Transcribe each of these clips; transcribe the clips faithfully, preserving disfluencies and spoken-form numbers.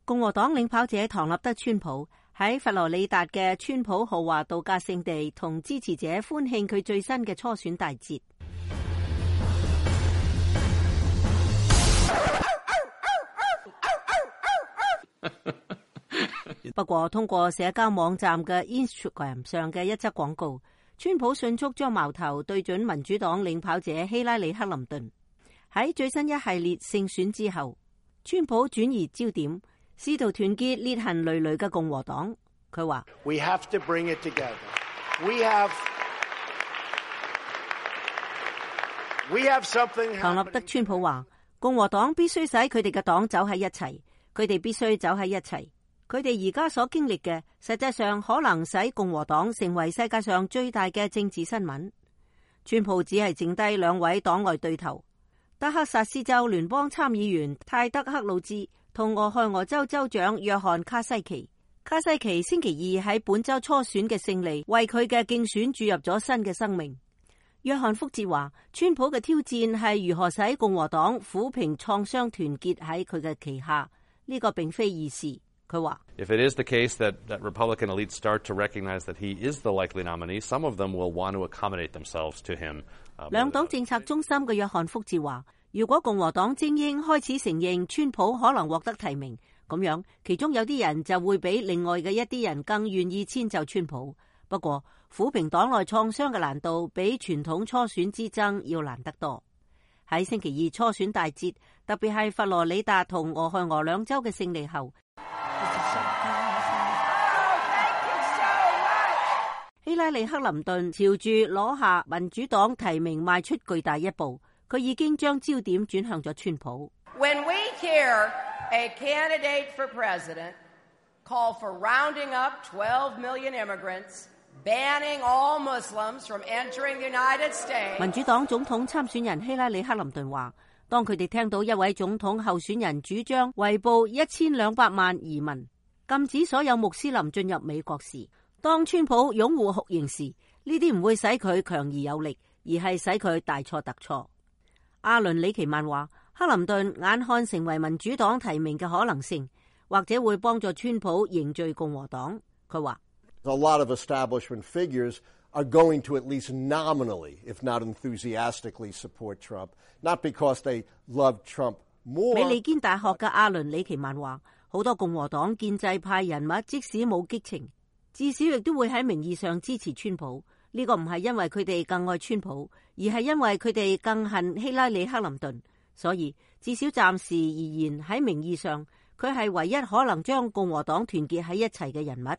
共和黨領跑者唐納德·川普喺佛羅里達嘅川普豪華度假勝地同支持者歡慶佢最新嘅初選大捷。不過，通過社交網站嘅 Instagram 上嘅一則廣告，川普迅速將矛頭對準民主黨領跑者希拉里·克林頓。喺最新一系列勝選之後，川普轉移焦點，試圖團結裂痕累累嘅共和黨。佢話：We have to bring it together. We have we have something. 唐納德·川普話：共和黨必須使佢哋嘅黨走喺一齊，佢哋必須走喺一齊。佢哋而家所經歷嘅，實際上可能使共和黨成為世界上最大嘅政治新聞。川普只係剩低兩位黨外對頭，德克薩斯州聯邦參議員泰德·克魯茲同俄亥俄州州長約翰卡西奇。卡西奇星期二喺本州初選嘅勝利，為佢嘅競選注入咗新嘅生命。約翰福捷話：川普嘅挑戰係如何使共和黨撫平創傷，團結喺佢嘅旗下。呢、這個並非易事。佢話：If it is the case that that Republican elites start to recognize that he is the likely nominee, some of them will want to accommodate themselves to him. 兩黨政策中心嘅約翰福捷話：如果共和黨精英開始承認川普可能獲得提名，咁樣其中有啲人就會比另外嘅一啲人更願意遷就川普。不過，撫平黨內創傷嘅難度比傳統初選之爭要難得多。喺星期二初選大捷，特別係佛羅里達同俄亥俄兩州嘅勝利後，希拉里·克林頓朝住攞下民主黨提名邁出巨大一步，佢已經將焦點轉向咗川普。When we hear a candidate for president call for rounding up twelve million immigrants, banning all Muslims from entering the United States， 民主黨總統參選人希拉里·克林頓話，當佢哋聽到一位總統候選人主張圍捕一千兩百萬移民，禁止所有穆斯林進入美國時，當川普擁護酷刑時，呢啲唔會使佢強而有力，而係使佢大錯特錯。阿倫里奇曼話，克林頓眼看成為民主黨提名嘅可能性，或者會幫助川普凝聚共和黨。佢話：A lot of establishment figures are going to at least nominally, if not enthusiastically, support Trump, not because they love Trump more。美利堅大學嘅阿倫里奇曼話，好多共和黨建制派人物即使冇激情，至少亦都會喺名義上支持川普。呢個唔係因為佢哋更愛川普，而係因為佢哋更恨希拉里·克林頓。所以至少暫時而言，喺名義上，佢係唯一可能將共和黨團結喺一齊嘅人物。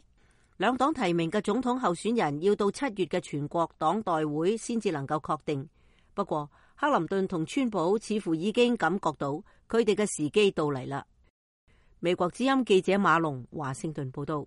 兩黨提名嘅總統候選人要到七月嘅全國黨代會先至能夠確定。不過，克林頓同川普似乎已經感覺到佢哋嘅時機到嚟啦。美國之音記者馬龍華盛頓報道。